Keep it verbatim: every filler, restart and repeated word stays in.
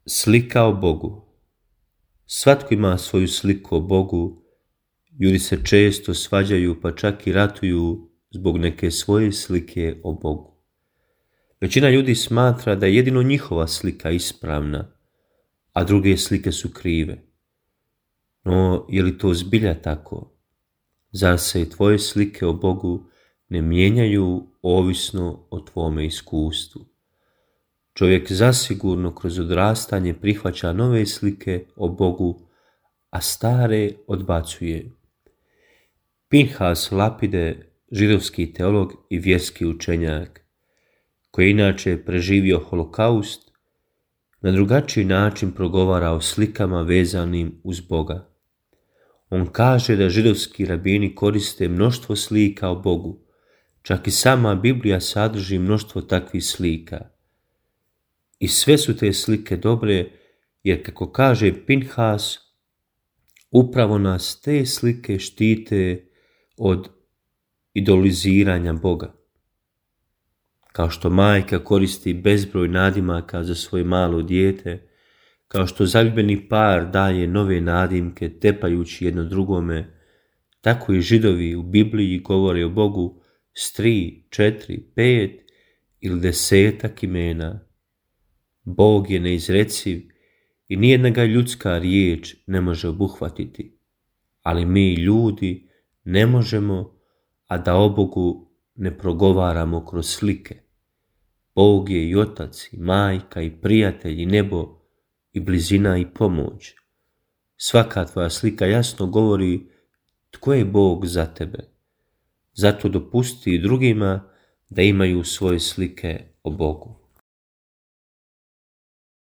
Slika o Bogu. Svatko ima svoju sliku o Bogu. Ljudi se često svađaju pa čak i ratuju zbog neke svoje slike o Bogu. Većina ljudi smatra da je jedino njihova slika ispravna, a druge slike su krive. No, je li to zbilja tako? Zar se i tvoje slike o Bogu ne mijenjaju ovisno o tvome iskustvu? Čovjek zasigurno kroz odrastanje prihvaća nove slike o Bogu, a stare odbacuje. Pinhas Lapide, židovski teolog i vjerski učenjak, koji je inače preživio holokaust, na drugačiji način progovara o slikama vezanim uz Boga. On kaže da židovski rabini koriste mnoštvo slika o Bogu, čak i sama Biblija sadrži mnoštvo takvih slika. I sve su te slike dobre, jer kako kaže Pinhas, upravo nas te slike štite od idoliziranja Boga. Kao što majka koristi bezbroj nadimaka za svoje malo dijete, kao što zaljubljeni par daje nove nadimke tepajući jedno drugome, tako i Židovi u Bibliji govore o Bogu s tri, četiri, pet ili desetak imena. Bog je neizreciv i nijedna ga ljudska riječ ne može obuhvatiti, ali mi ljudi ne možemo, a da o Bogu ne progovaramo kroz slike. Bog je i otac, i majka, i prijatelj, i nebo, i blizina, i pomoć. Svaka tvoja slika jasno govori tko je Bog za tebe. Zato dopusti i drugima da imaju svoje slike o Bogu.